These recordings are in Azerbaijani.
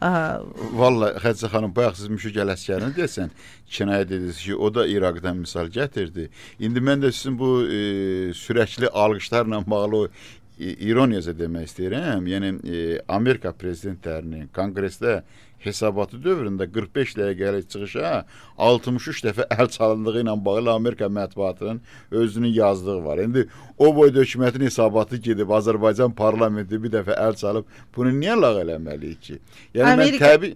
Vallahi Xədicə xanım, bayaq siz Müşfiq Ələsgərini desən, kinayə dediniz ki, o da İraqdan misal gətirdi. İndi mən də sizin bu sürəkli alqışlarla bağlı ironiyacə demək istəyirəm. Yəni Amerika prezidentlərinin konqresdə hesabatı dövründə 45 dəqiqəlik çıxışa 63 dəfə əl çalındığı ilə bağlı Amerika mətbuatının özünün yazdığı var. İndi o boyda hökumətin hesabatı gedib Azərbaycan parlamenti bir dəfə əl çalıb bunu niyə lağ eləməliyik ki? Yəni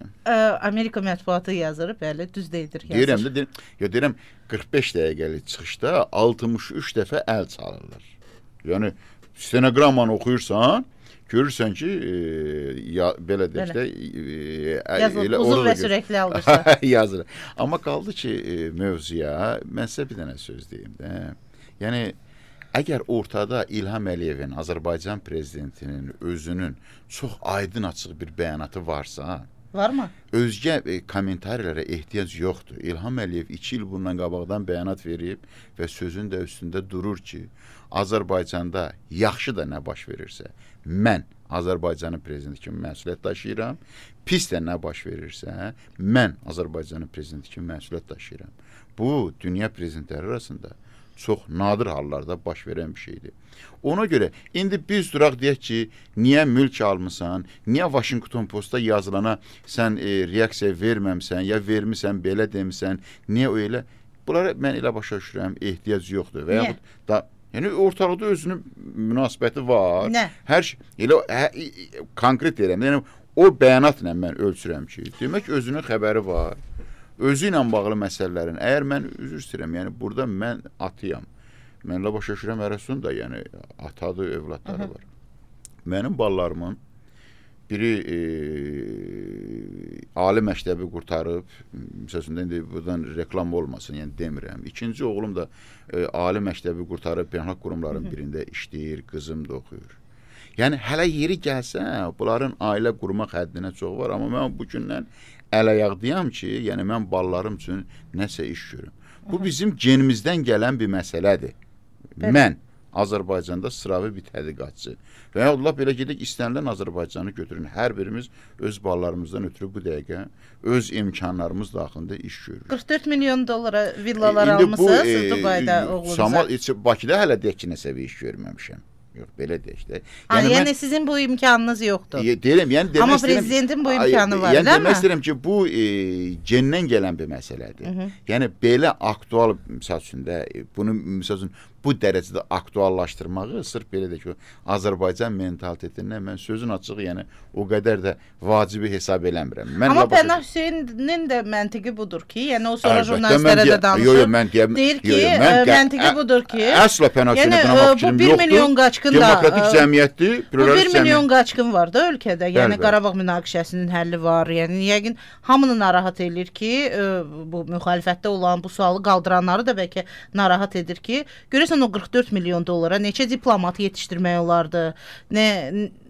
Amerika mətbuatı yazır, bəli, düz deyir. Deyirəm 45 dəqiqəlik çıxışda 63 dəfə əl çalırlar. Yəni stenoqrammanı oxuyursan, görürsən ki, belə deyək də yazılır, uzun və sürəkli alqışlar yazılır. Amma qaldı ki, mövzuya mən sizə bir dənə söz deyim də. Yəni əgər ortada İlham Əliyevin, Azərbaycan prezidentinin özünün çox aydın açıq bir bəyanatı varsa, varmı? Özgə kommentarilərə ehtiyac yoxdur. İlham Əliyev 2 il bundan qabaqdan bəyanat verib və sözün də üstündə durur ki, Azərbaycanda yaxşı da nə baş verirsə, mən Azərbaycanın prezidenti kimi məsuliyyət daşıyıram, pis də nə baş verirsə, mən Azərbaycanın prezidenti kimi məsuliyyət daşıyıram. Bu, dünya prezidentləri arasında çox nadir hallarda baş verən bir şeydir. Ona görə, indi biz duraq deyək ki, niyə mülk almısan, niyə Washington Postda yazılana sən reaksiya verməmsən, ya vermirsən, belə demisən, niyə öyle? Bunlara mən elə başa düşürəm, ehtiyac yoxdur. Və yaxud da yəni ortalıqda özünün münasibəti var. Nə? Hər şey elə konkret deyirəm. Yəni o bəyanatla mən ölçürəm ki, demək özünün xəbəri var. Özü ilə bağlı məsələlərin. Əgər mən üzr istəyirəm, yəni burada mən atıyam. Mənlə başa düşürəm, Ərəsun da yəni atadır, övladları var. Mənim ballarımın biri ali məktəbi qurtarıb, məsələn, indi buradan reklam olmasın, yəni demirəm. İkinci oğlum da ali məktəbi qurtarıb, beynəlxalq qurumların birində işləyir, qızım da oxuyur. Yəni, hələ yeri gəlsə, bunların ailə qurmaq həddinə çox var, amma mən bu gündən əl-ayaqdıyam ki, yəni mən ballarım üçün nəsə iş görüm. Bu bizim genimizdən gələn bir məsələdir. Mən Azərbaycanda sıravi bir tədqiqatçı və ya Allah belə gedək, istənilən Azərbaycanı götürün. Hər birimiz öz ballarımızdan ötürü bu dəqiqə öz imkanlarımız daxilində iş görürük. 44 milyon dollara villalar almışsınız Dubayda oğlunuza. Bakıda hələ deyək ki, nəsə bir iş görməmişəm. Yox, belə deyək də. Yəni sizin bu imkanınız yoxdur. Deyirəm, yəni amma prezidentin bu imkanı var, yəni demək istəyirəm ki, bu gendən gələn bir məsələdir. Yəni belə aktual, misal üçün də bunu misal üçün bu dərəcədə aktuallaşdırmağı sırf belə də ki, Azərbaycan mentalitetindən mən sözün açığı, yəni o qədər də vacibi hesab eləmirəm. Amma Pənah Hüseynin də məntiqi budur ki, yəni o sonra jurnalistlərə də danışır. Deyir ki, məntiqi budur ki, əsla Pənah Hüseynin qınamaq fikrim yoxdur. 1 milyon qaçqın da, demokratik cəmiyyətdir. Bu 1 milyon qaçqın var da ölkədə, yəni Qarabağ münaqişəsinin həlli var. Yəni yəqin hamını narahat edir ki, bu müxalifətdə olan bu sualı qaldıranları da bəlkə narahat edir ki, görəsən o 44 milyon dollara neçə diplomat yetişdirmək olardı,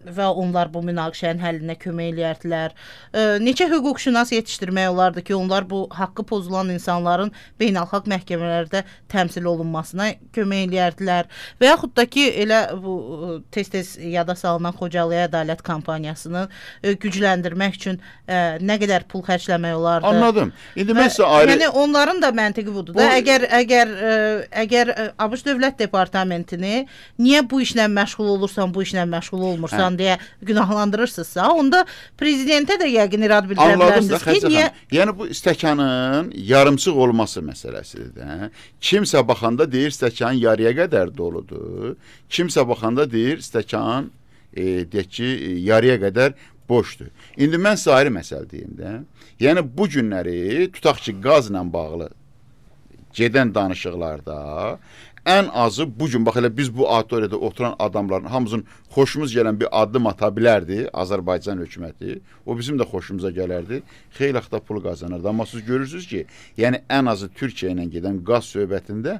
və onlar bu münaqişənin həllinə kömək eləyərdilər. Neçə hüquqşünas yetişdirmək olardı ki, onlar bu haqqı pozulan insanların beynəlxalq məhkəmələrdə təmsil olunmasına kömək eləyərdilər. Və yaxud da ki, elə bu tez-tez yada salınan Xocalıya ədalət kampaniyasını gücləndirmək üçün nə qədər pul xərcləmək olardı. Anladım. İndi mən sizə ayrı... Yəni onların da məntiqi budur da. Əgər ABŞ Dövlət Departamentini niyə bu işlə məşğul olursan, bu işlə məşğul olmursan deyə günahlandırırsınızsa, onda prezidentə də yəqin irad bildirə bilərsiniz ki, niyə... Yəni bu stəkanın yarımçıq olması məsələsidir də. Kimsə baxanda deyir, stəkan yarıya qədər doludur. Kimsə baxanda deyir, stəkan deyək ki, yarıya qədər boşdur. İndi mən sizə ayrı məsələ deyim də. Yəni bu günləri tutaq ki, qazla bağlı gedən danışıqlarda ən azı bugün, bax elə biz bu auditoriyada oturan adamların hamımızın xoşumuz gələn bir addım ata bilərdi Azərbaycan hökuməti. O bizim də xoşumuza gələrdi. Xeyli axta pul qazanırdı. Amma siz görürsünüz ki, yəni ən azı Türkiyə ilə gedən qaz söhbətində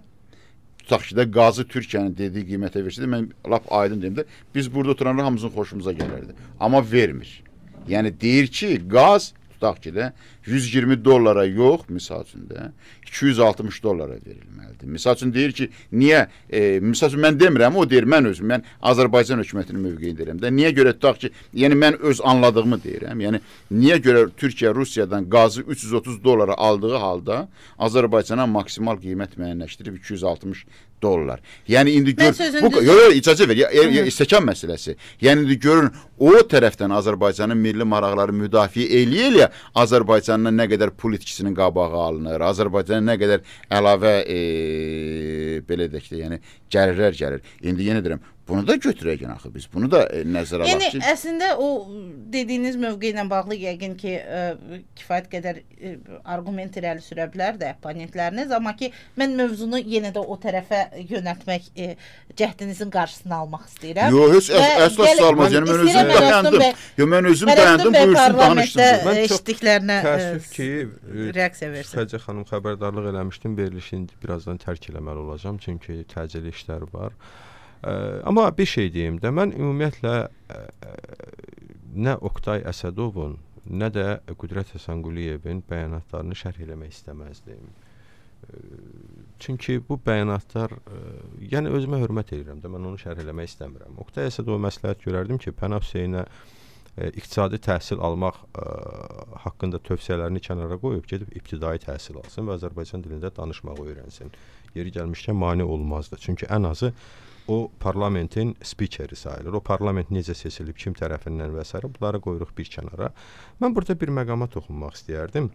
tutaq ki də qazı Türkiyənin dediyi qiymətə versəydi, mən lap aydın deyim də, biz burada oturanlar hamımızın xoşumuza gələrdi. Amma vermir. Yəni deyir ki, qaz tutaq ki də $120 yox, misal üçün də $260 verilməlidir. Misal üçün deyir ki, niyə, misal üçün mən demirəm, o deyir, mən Azərbaycan hökumətinin mövqeyini deyirəm də, niyə görə tutaq ki, yəni mən öz anladığımı deyirəm, yəni niyə görə Türkiyə Rusiyadan qazı $330 aldığı halda Azərbaycana maksimal qiymət müəyyənləşdirib $260. Yəni indi gör, icazə ver, istəkan məsələsi. Yəni indi görün, o tərəfdən Azərbaycanın milli maraqları müdafiə eləyə Azərbaycandan nə qədər pul itkisinin qabağı alınır, Azərbaycana nə qədər əlavə belə deyək də, yəni gəlirlər gəlir. İndi yenə deyirəm, bunu da götürək axı biz. Bunu da nəzərə alaq ki. Yəni əslində o dediyiniz mövqe ilə bağlı yəqin ki, kifayət qədər arqument irəli sürə bilər də oponentləriniz, amma ki mən mövzunu yenə də o tərəfə yönəltmək cəhdinizin qarşısını almaq istəyirəm. Yox, heç əsla almaz. Yəni mən özüm dayandım. Yox, mən özüm dayandım, buyursun danışdım. Eşitdiklərinə təəssüf ki, reaksiya versin. Xəcə xanım xəbərdarlıq eləmişdim, verilişini birazdan tərk eləməli olacağam, çünki təcili işlər var. Amma bir şey deyim də, mən ümumiyyətlə nə Oktay Əsədovun, nə də Qüdrət Həsənquliyevin bəyanatlarını şərh eləmək istəməzdim. Çünki bu bəyanatlar, yəni özümə hörmət edirəm də, mən onu şərh eləmək istəmirəm. Oktay Əsədova məsləhət görərdim ki, Pənah Hüseynə iqtisadi təhsil almaq haqqında tövsiyələrini kənara qoyub, gedib ibtidai təhsil alsın və Azərbaycan dilində danışmağı öyrənsin. Yeri gəlmişkən mane olmazdı. Çünki ən azı o parlamentin spikeri sayılır. O parlament necə seçilib, kim tərəfindən və s. bunları qoyuruq bir kənara. Mən burada bir məqama toxunmaq istəyərdim.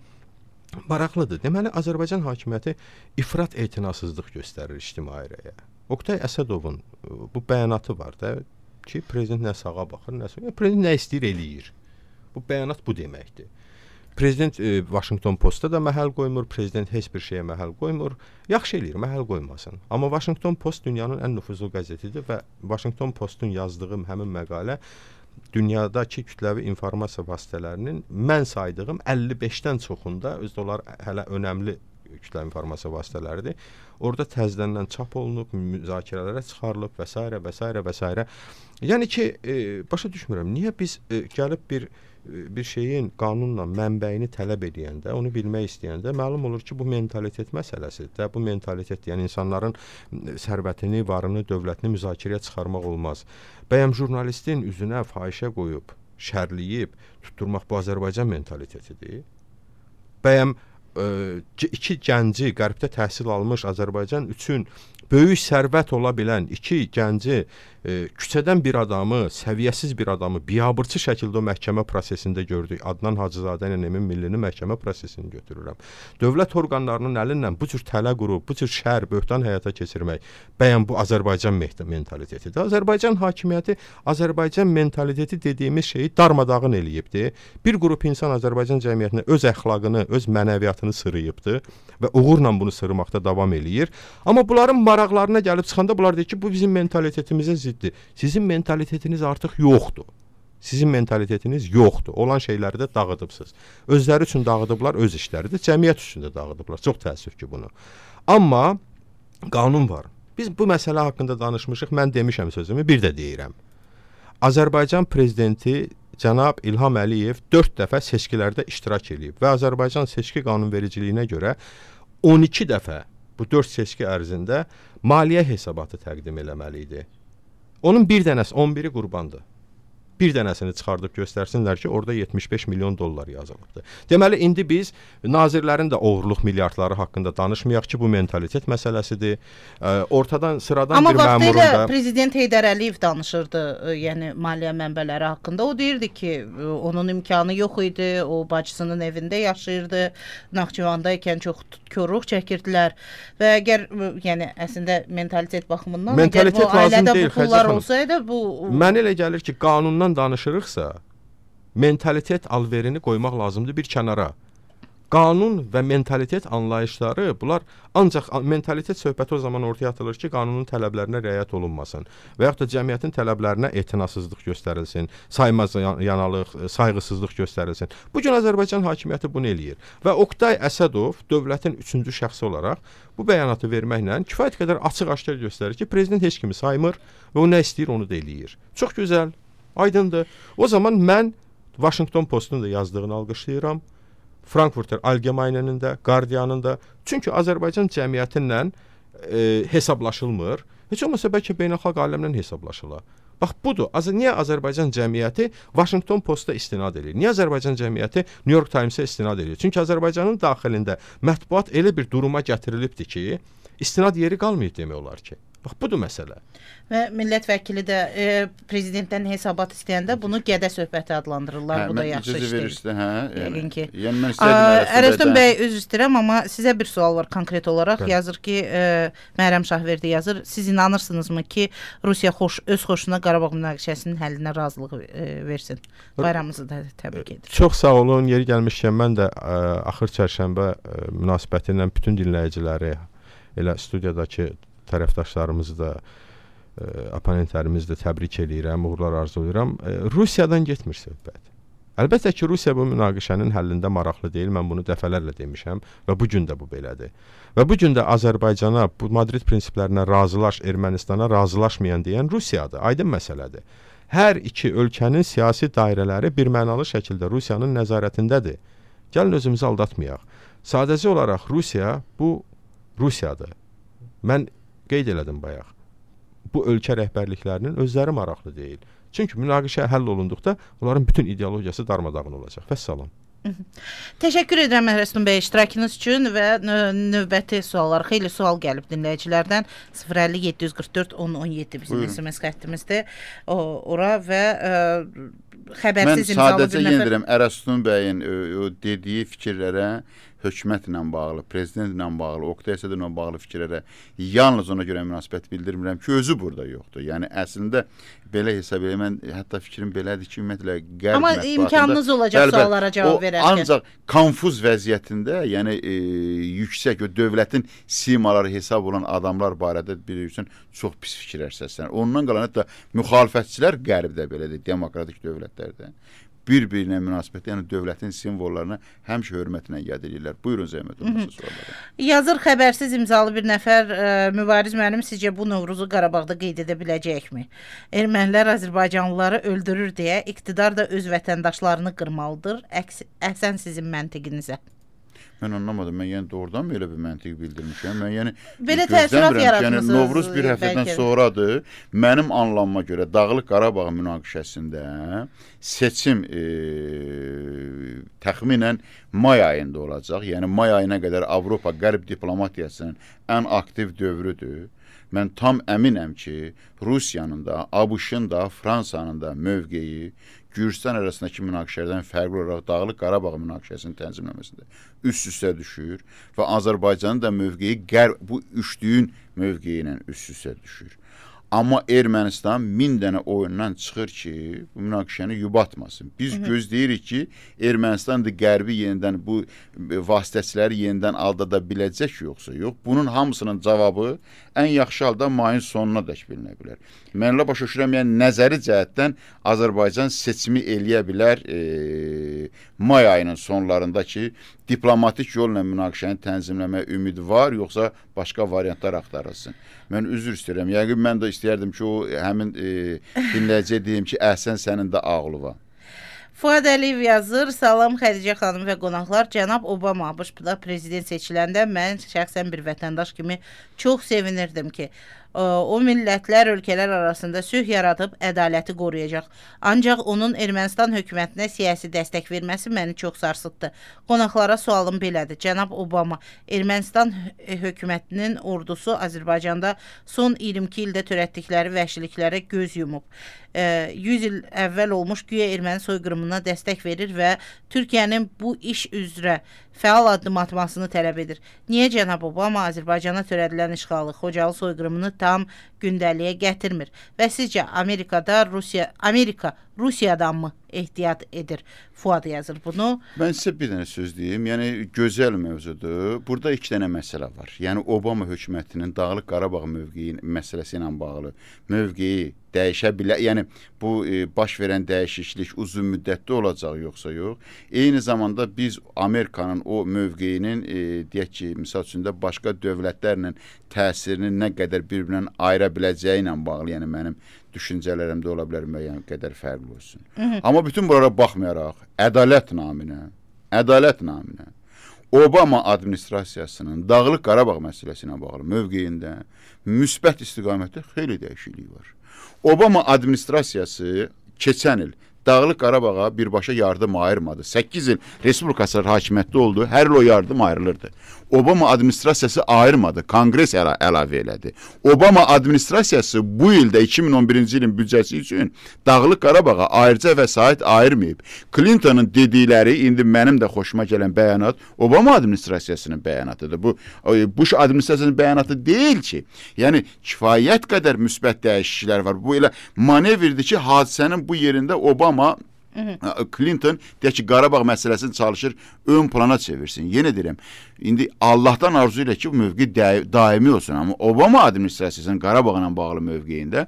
Maraqlıdır. Deməli, Azərbaycan hakimiyyəti ifrat etinasızlıq göstərir ictimai rəyə. Oktay Əsədovun bu bəyanatı var da ki, prezident nə sağa baxır, nə sola. Prezident nə istəyir, eləyir. Bu bəyanat bu deməkdir. Prezident Washington Postda da məhəl qoymur, prezident heç bir şeyə məhəl qoymur. Yaxşı eləyir, məhəl qoymasın. Amma Washington Post dünyanın ən nüfuzlu qəzetidir və Washington Postun yazdığı həmin məqalə dünyadakı kütləvi informasiya vasitələrinin mən saydığım 55-dən çoxunda, özdə onlar hələ önəmli kütləvi informasiya vasitələridir. Orada təzədən çap olunub, müzakirələrə çıxarılıb və s. və s. və s. Yəni ki, başa düşmürəm, niyə biz gəlib bir şeyin qanunla mənbəyini tələb edəndə, onu bilmək istəyəndə məlum olur ki, bu mentalitet məsələsidir də. Bu mentalitet, yəni insanların sərvətini, varını, dövlətini müzakirəyə çıxarmaq olmaz. Bəyəm jurnalistin üzünə fahişə qoyub, şərləyib, tutturmaq bu Azərbaycan mentalitetidir. Bəyəm iki gənci, qərbdə təhsil almış Azərbaycan üçün böyük sərvət ola bilən iki gənci, küçədən bir adamı, səviyyəsiz bir adamı biabırçı şəkildə o məhkəmə prosesində gördük. Adnan Hacızadə ilə Emin Millini məhkəmə prosesini götürürəm. Dövlət orqanlarının əlindən bu cür tələ qurub, bu cür şər, böhtan həyata keçirmək, bəyəm bu Azərbaycan mentalitetidir. Azərbaycan hakimiyyəti, Azərbaycan mentaliteti dediyimiz şeyi darmadağın eləyibdir. Bir qrup insan Azərbaycan cəmiyyətinə öz əxlaqını, öz mənəviyyatını sırıyıbdır və uğurla bunu sırmaqda davam eləyir. Amma bunların maraqlarına gəlib çıxanda bunlar deyir ki, bu bizim mentalitetimizə ziddir. Sizin mentalitetiniz artıq yoxdur. Sizin mentalitetiniz yoxdur. Olan şeyləri də dağıdıbsınız. Özləri üçün dağıdıblar, öz işləridir. Cəmiyyət üçün də dağıdıblar. Çox təəssüf ki bunu. Amma qanun var. Biz bu məsələ haqqında danışmışıq. Mən demişəm sözümü, bir də deyirəm. Azərbaycan prezidenti cənab İlham Əliyev 4 dəfə seçkilərdə iştirak edib və Azərbaycan seçki qanunvericiliyinə görə 12 dəfə bu 4 seçki ərzində maliyyə hesabatı təqdim eləməli idi. Onun bir dənəsi, 11-i qurbandır. Bir dənəsini çıxardıb göstərsinlər ki, orada $75 milyon yazılıbdır. Deməli, indi biz nazirlərin də oğurluq milyardları haqqında danışmayaq ki, bu mentalitet məsələsidir. Ortadan, sıradan bir məmurun da... Amma vaxtilə Prezident Heydər Əliyev danışırdı, yəni maliyyə mənbələri haqqında. O deyirdi ki, onun imkanı yox idi, o bacısının evində yaşayırdı, Naxçıvanda ikən çox korluq çəkirdilər və əgər, yəni, əslində mentalitet baxımından, əgər bu ailədə bu pullar olsaydı, bu... Mən elə gəlir ki, qanundan danışırıqsa, mentalitet alverini qoymaq lazımdır bir kənara. Qanun və mentalitet anlayışları, bunlar ancaq mentalitet söhbəti o zaman ortaya atılır ki, qanunun tələblərinə riayət olunmasın və yaxud da cəmiyyətin tələblərinə etinasızlıq göstərilsin, saymazyanalıq, sayğısızlıq göstərilsin. Bugün Azərbaycan hakimiyyəti bunu eləyir və Oktay Əsədov dövlətin 3-cü şəxsi olaraq bu bəyanatı verməklə kifayət qədər açıq-aşkar göstərir ki, prezident heç kimi saymır və o nə istəyir, onu da eləyir. Çox gözəl, aydındır. O zaman mən Washington Postun da yazdığını alqışlayıram. Frankfurter Allgemeinenin də, Guardianın da. Çünki Azərbaycan cəmiyyəti ilə hesablaşılmır. Heç olmasa bəlkə beynəlxalq aləmlə hesablaşılar. Bax budur. Niyə Azərbaycan cəmiyyəti Washington Post-a istinad edir? Niyə Azərbaycan cəmiyyəti New York Times-a istinad edir? Çünki Azərbaycanın daxilində mətbuat elə bir duruma gətirilibdir ki, istinad yeri qalmayıb demək olar ki. Bax budur məsələ. Və millət vəkili də prezidentdən hesabat istəyəndə bunu gədə söhbəti adlandırırlar. Bu da yaxşı iş deyil. Yəqin ki. Ərəstun bəy, üzr istəyirəm, amma sizə bir sual var konkret olaraq. Yazır ki, Məhrəm Şahverdi yazır. Siz inanırsınızmı ki, Rusiya öz xoşuna Qarabağ münaqişəsinin həllinə razılıq versin? Bayramımızı da təbrik edir. Çox sağ olun. Yeri gəlmişkən mən də axır çərşənbə münasibəti ilə bütün dinləyiciləri, elə studiyadakı tərəfdaşlarımızı da, oponentlərimizi də təbrik edirəm, uğurlar arzulayıram. Rusiyadan getmir söhbət. Əlbəttə ki, Rusiya bu münaqişənin həllində maraqlı deyil. Mən bunu dəfələrlə demişəm və bu gün də bu belədir. Və bu gün də Azərbaycana bu Madrid prinsiplərinə razılaş, Ermənistana razılaşmayan deyən Rusiyadır. Aydın məsələdir. Hər iki ölkənin siyasi dairələri birmənalı şəkildə Rusiyanın nəzarətindədir. Gəlin özümüzü aldatmayaq. Sadəcə olaraq Rusiya bu Rusiyadır. Mən qeyd elədim bayaq. Bu ölkə rəhbərliklərinin özləri maraqlı deyil. Çünki münaqişə həll olunduqda onların bütün ideologiyası darmadağın olacaq. Vəssalam. Təşəkkür edirəm Ərəstun bəy iştirakınız üçün və növbəti suallar. Xeyli sual gəlib dinləyicilərdən. 050 744 1017 bizim SMS xəttimizdir. Ora və xəbərsiz imzalı bir nəfər. Mən sadəcə yendirəm Ərəstun bəyin dediyi fikirlərə hökumətlə bağlı, prezidentlə bağlı, Oqtay Əsədovla bağlı fikirlərə yalnız ona görə münasibət bildirmirəm ki, özü burada yoxdur. Yəni əslində belə hesab edirəm, mən hətta fikrim belədir ki, ümumiyyətlə qərb amma imkanınız olacaq suallara cavab verərkən. Ancaq konfuz vəziyyətində, yəni yüksək o dövlətin simaları hesab olan adamlar barədə bilirsən çox pis fikirlər səslənir. Ondan qalan hətta müxalifətçilər qərbdə belədir, demokratik dövlətlərdə. Bir-birinə münasibətdə, yəni dövlətin simvollarına həmişə hörmətlə yad edirlər. Buyurun zəhmət olmasa suallara. Yazır xəbərsiz imzalı bir nəfər, Mübariz müəllim, sizcə bu Novruzu Qarabağda qeyd edə biləcəkmi? Ermənilər Azərbaycanlıları öldürür deyə iqtidar da öz vətəndaşlarını qırmalıdır. Əhsən sizin məntiqinizə. Mən anlamadım. Mən yəni doğrudan mı elə bir məntiq bildirmişəm? Mən yəni belə təəssürat yaratmısınız. Yəni Novruz bir həftədən sonradır. Mənim anlamama görə Dağlıq Qarabağ münaqişəsində seçim təxminən may ayında olacaq. Yəni may ayına qədər Avropa qərb diplomatiyasının ən aktiv dövrüdür. Mən tam əminəm ki, Rusiyanın da, ABŞ-ın da, Fransanın da mövqeyi Gürcistan arasındakı münaqişələrdən fərqli olaraq Dağlıq Qarabağ münaqişəsinin tənzimləməsində üst-üstə düşür və Azərbaycanın da mövqeyi bu üçlüyün mövqeyi ilə üst-üstə düşür. Amma Ermənistan 1000 dənə oyundan çıxır ki, bu münaqişəni yubatmasın. Biz gözləyirik ki, Ermənistan da qərbi yenidən bu vasitəçiləri yenidən aldada biləcək yoxsa yox. Bunun hamısının cavabı ən yaxşı halda mayın sonuna dək bilinə bilər. Mən elə başa düşürəm, yəni nəzəri cəhətdən Azərbaycan seçimi eləyə bilər may ayının sonlarında ki, diplomatik yolla münaqişəni tənzimləmə ümidi var, yoxsa başqa variantlar axtarılsın. Mən üzr istəyirəm. Yəqin mən də istəyərdim ki, o həmin dinləyiciyə deyim ki, əhsən sənin də ağlıva. Fuad Əliyev yazır, salam Xədicə xanım və qonaqlar. Cənab Obama ABŞ-da prezident seçiləndə mən şəxsən bir vətəndaş kimi çox sevinirdim ki, o millətlər, ölkələr arasında sülh yaradıb ədaləti qoruyacaq. Ancaq onun Ermənistan hökumətinə siyasi dəstək verməsi məni çox sarsıtdı. Qonaqlara sualım belədir. Cənab Obama, Ermənistan hökumətinin ordusu Azərbaycanda son 22 ildə törətdikləri vəhşiliklərə göz yumub. 100 il əvvəl olmuş güya erməni soyqırımına dəstək verir və Türkiyənin bu iş üzrə fəal addım atmasını tələb edir. Niyə cənab Obama Azərbaycana törədilən işğalı, Xocalı soyqırımını tam gündəliyə gətirmir? Və sizcə Amerika Rusiyadan mı ehtiyat edir? Fuad yazır bunu. Mən sizə bir dənə söz deyim. Yəni gözəl mövzudur. Burada iki dənə məsələ var. Yəni Obama hökumətinin Dağlıq Qarabağ mövqeyi məsələsi ilə bağlı mövqeyi dəyişə bilər. Yəni bu baş verən dəyişiklik uzun müddətli olacaq yoxsa yox. Eyni zamanda biz Amerikanın o mövqeyinin deyək ki, misal üçün də başqa dövlətlərlə təsirini nə qədər bir-birindən ayıra biləcəyi ilə bağlı, yəni mənim düşüncələrimdə ola bilər müəyyən qədər fərqli olsun. Amma bütün bunlara baxmayaraq ədalət naminə ədalət naminə Obama administrasiyasının Dağlıq Qarabağ məsələsinə bağlı mövqeyində müsbət istiqamətdə xeyli dəyişiklik var. Obama administrasiyası keçən il Dağlıq Qarabağa birbaşa yardım ayırmadı. 8 il respublikasının hakimiyyətdə oldu. Hər il o yardım ayrılırdı. Obama administrasiyası ayırmadı. Kongres əlavə elədi. Obama administrasiyası bu ildə 2011-ci ilin büdcəsi üçün Dağlıq Qarabağa ayrıca vəsait ayırmayıb. Clinton'ın dedikləri indi mənim də xoşuma gələn bəyanat Obama administrasiyasının bəyanatıdır. Bu Bush administrasiyasının bəyanatı deyil ki. Yəni kifayət qədər müsbət dəyişikliklər var. Bu elə manevrdir ki, hadisənin bu yerində Obama Clinton deyək ki, Qarabağ məsələsini çalışır ön plana çevirsin. Yenə deyirəm, indi Allahdan arzu ilə ki, bu mövqe daimi olsun. Amma Obama administrasiyasının Qarabağla bağlı mövqeyində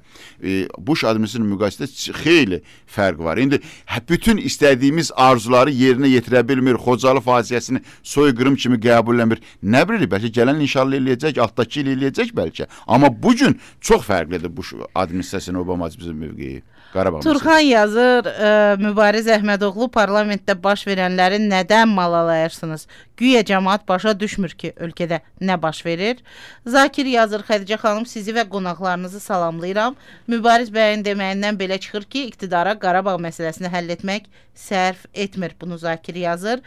Bush administrasiyasının müqayisəsində xeyli fərq var. İndi bütün istədiyimiz arzuları yerinə yetirə bilmir, Xocalı faciəsini soyqırım kimi qəbul eləmir. Nə bilir, bəlkə gələn inşallah eləyəcək, altdakı il eləyəcək bəlkə. Amma bu gün çox fərqlidir Bush administrasiyasının Obama administrasiyasının mövqeyi. Turxan yazır, Mübariz Əhmədoğlu parlamentdə baş verənləri nədən malalayırsınız? Güya cəmaət başa düşmür ki, ölkədə nə baş verir? Zakir yazır, Xədicə xanım, sizi və qonaqlarınızı salamlayıram. Mübariz bəyin deməyindən belə çıxır ki, iqtidara Qarabağ məsələsini həll etmək sərf etmir. Bunu Zakir yazır.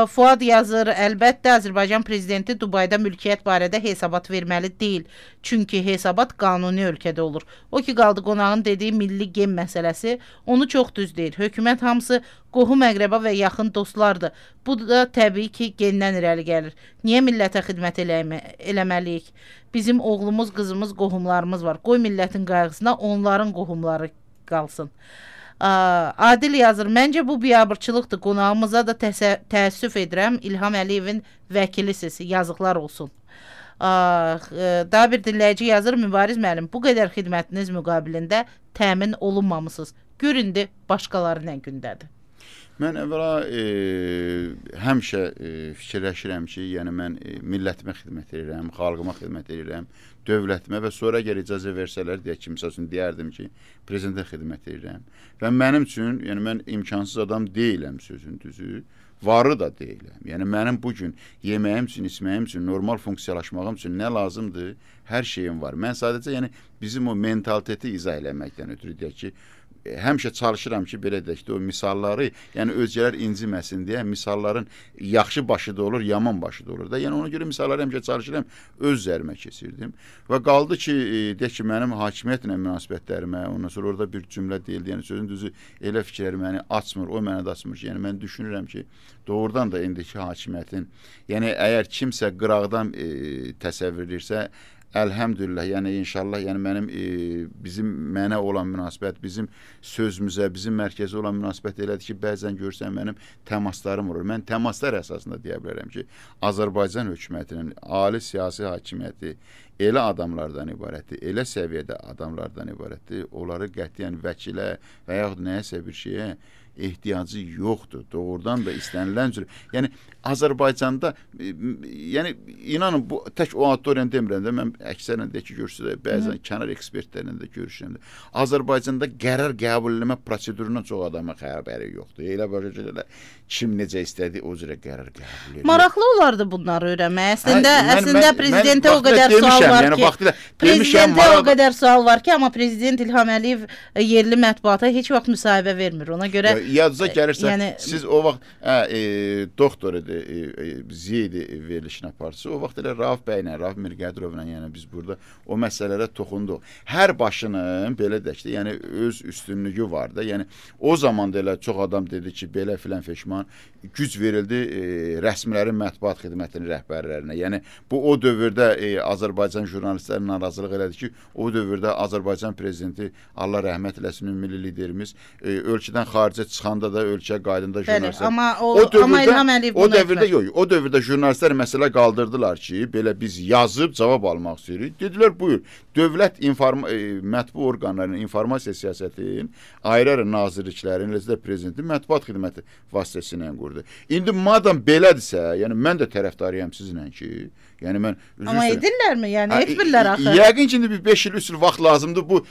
Fuad yazır, əlbəttə Azərbaycan prezidenti Dubayda mülkiyyət barədə hesabat verməli deyil. Çünki hesabat qanuni ölkədə olur. O ki, qaldı qonağın dediyi milli gem məsələsi, onu çox düz deyir. Hökumət hamısı qohum əqrəba və yaxın dostlardır. Bu da təbii ki, gendən irəli gəlir. Niyə millətə xidmət eləməliyik? Bizim oğlumuz, qızımız, qohumlarımız var. Qoy millətin qayğısına onların qohumları qalsın. Adil yazır, məncə bu biabırçılıqdır. Qonağımıza da təəssüf edirəm. İlham Əliyevin vəkilisiz. Yazıqlar olsun. Daha bir dinləyici yazır, Mübariz müəllim, bu qədər xidmətiniz müqabilində təmin olunmamısınız. Göründü, başqaları nə gündədir? Mən əvvəla həmişə fikirləşirəm ki, yəni mən millətimə xidmət edirəm, xalqıma xidmət edirəm, dövlətimə və sonra əgər icazə versələr, deyək ki, misal üçün deyərdim ki, prezidentə xidmət edirəm. Və mənim üçün, yəni mən imkansız adam deyiləm sözün düzü, varı da deyiləm. Yəni mənim bugün yeməyim üçün, içməyim üçün, normal funksiyalaşmağım üçün nə lazımdır, hər şeyim var. Mən sadəcə yəni bizim o mentaliteti izah eləməkdən ötürü deyək ki, həmişə çalışıram ki, belə deyək ki, o misalları, yəni özgələr inciməsin deyə misalların yaxşı başı da olur, yaman başı da olur da. Yəni ona görə misalları həmişə çalışıram, öz üzərimə keçirdim. Və qaldı ki, deyək ki, mənim hakimiyyətlə münasibətlərimə, ondan sonra orada bir cümlə deyildi, yəni sözün düzü elə fikirləri məni açmır, o mənə də açmır ki, yəni mən düşünürəm ki, doğrudan da indiki hakimiyyətin, yəni əgər kimsə qıraqdan təsəvvür edirsə, əlhəmdülillah, yəni inşallah, yəni mənim mənə olan münasibət, bizim sözümüzə, bizim mərkəzə olan münasibət elədir ki, bəzən görsən mənim təmaslarım olur. Mən təmaslar əsasında deyə bilərəm ki, Azərbaycan hökumətinin ali siyasi hakimiyyəti elə adamlardan ibarətdir, elə səviyyədə adamlardan ibarətdir, onları qətiyyən vəkilə və yaxud nəyəsə bir şeyə ehtiyacı yoxdur. Doğrudan da istənilən cür. Yəni Azərbaycanda yəni inanın bu tək o auditoriyanı demirəm də, mən əksərən də ki görürsünüz, bəzən kənar ekspertlərlə də görüşürəm də. Azərbaycanda qərar qəbul etmə prosedurundan çox adamın xəbəri yoxdur. Elə belə kim necə istədi o cürə qərar qəbul edir. Maraqlı olardı bunları öyrənmək. Əslində prezidentə o qədər sual var ki, prezidentə o qədər sual var ki, amma prezident İlham Əliyev yerli mətbuata heç vaxt müsahibə vermir. Ona görə yadınıza gəlirsə, siz o vaxt doktor idi, Ziyedi verilişin aparıcısı. O vaxt elə Rauf bəylə, Rauf Mirqədirovla, yəni biz burada o məsələlərə toxunduq. Hər başının belə deyək də, yəni öz üstünlüyü var da. Yəni o zaman da elə çox adam dedi ki, belə filan feşman güc verildi rəsmilərin mətbuat xidmətinin rəhbərlərinə. Yəni bu o dövrdə Azərbaycan jurnalistləri narazılıq elədi ki, o dövrdə Azərbaycan prezidenti, Allah rəhmət eləsin, milli liderimiz ölkədən xaricə çıxanda da ölkə qaydında jurnalistlər. Amma İlham Əliyev o dövrdə yox, o dövrdə jurnalistlər məsələ qaldırdılar ki, belə biz yazıb cavab almaq istəyirik. Dedilər, buyur, dövlət mətbu orqanlarının informasiya siyasətinin ayrı-ayrı nazirliklərin, eləcə də prezidentin mətbuat xidməti vasitəsilə qurdu. İndi madam belədirsə, yəni mən də tərəfdarıyam sizlə ki, yəni mən amma edirlərmi? Yəni etmirlər axı. Yəqin ki, indi bir 5 il, 3 il vaxt lazımdır bu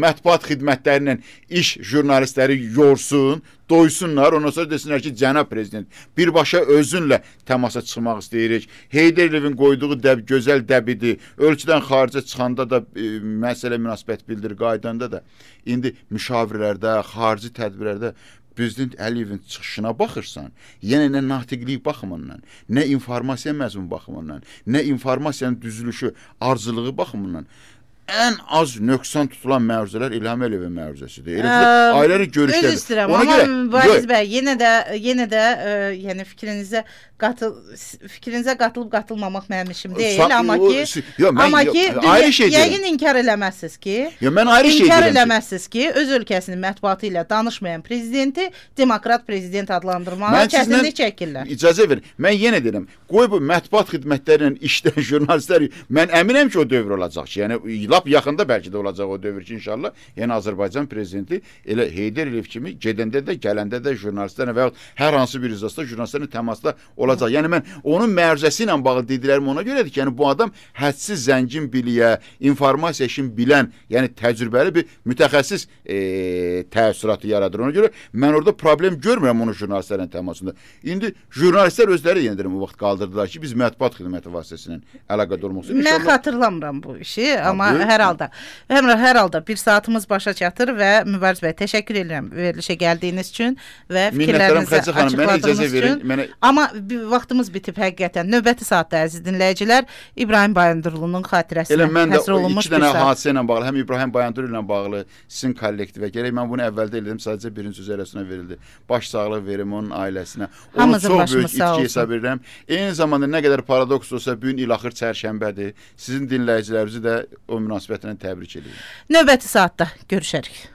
mətbuat xidmətlərinin iş jurnalistləri yorsun. tutsun, doysunlar, ondan sonra desinlər ki, cənab prezident, birbaşa özünlə təmasa çıxmaq istəyirik. Heydər Əliyevin qoyduğu gözəl dəbidir. Ölkədən xaricə çıxanda da məsələ münasibət bildirir, qaydanda da. İndi müşavirlərdə, xarici tədbirlərdə Prezident Əliyevin çıxışına baxırsan, yenə nə natiqlik baxımından, nə informasiya məzmun baxımından, nə informasiyanın düzülüşü, arzılığı baxımından ən az nöqsan tutulan məruzələr İlham Əliyevin məruzəsidir. Ailəli görüşlər. Öz istəyirəm, amma Mübariz bəy, yenə də yəni fikrinizə qatılıb qatılmamaq mənim işim deyil, amma ki yəqin inkar eləməzsiniz ki, inkar eləməzsiniz ki, öz ölkəsinin mətbuatı ilə danışmayan prezidenti demokrat prezident adlandırmağa çətinlik çəkirlər. İcazə verin, mən yenə deyirəm, qoy bu mətbuat xidmətlərinin işləyən jurnalistlər, mən əminəm ki, o dövr olacaq ki, yəni lap yaxında bəlkə də olacaq o dövr ki, inşallah. Yəni Azərbaycan prezidenti elə Heydər Əliyev kimi gedəndə də, gələndə də jurnalistlərlə və hər hansı bir iclasda jurnalistlərlə təmasda olacaq. Yəni mən onun məruzəsi ilə bağlı dediklərim ona görədir ki, yəni bu adam hədsiz zəngin biliyə, informasiya işini bilən, yəni təcrübəli bir mütəxəssis təəssüratı yaradır. Ona görə mən orada problem görmürəm onun jurnalistlərlə təmasında. İndi jurnalistlər özləri yenə deyirəm o vaxt qaldırdılar ki, biz mətbuat xidməti vasitəsilə əlaqədar olmaq istəyirik. Mən xatırlamıram bu işi, amma hər halda bir saatımız başa çatır və Mübariz bəy, təşəkkür edirəm verilişə gəldiyiniz üçün və fikirlərinizi açıqladığınız üçün. Amma vaxtımız bitib həqiqətən. Növbəti saatda əziz dinləyicilər, İbrahim Bayandurlunun xatirəsinə həsr olunmuş bir saat. 2 dənə hadisə ilə bağlı, həm İbrahim Bayandurlu ilə bağlı sizin kollektivə gələk. Mən bunu əvvəldə elədim, sadəcə birinci söz eləsinə verildi. Baş sağlıq verim onun ailəsinə. Onu çox böyük itki hesab edirəm. Eyni zamanda nə qədər paradoks olsa, bu gün ilaxır çərşənbədir. Sizin dinləyicilərinizi də o münasibətlə təbrik edirəm. Növbəti saatda görüşərik.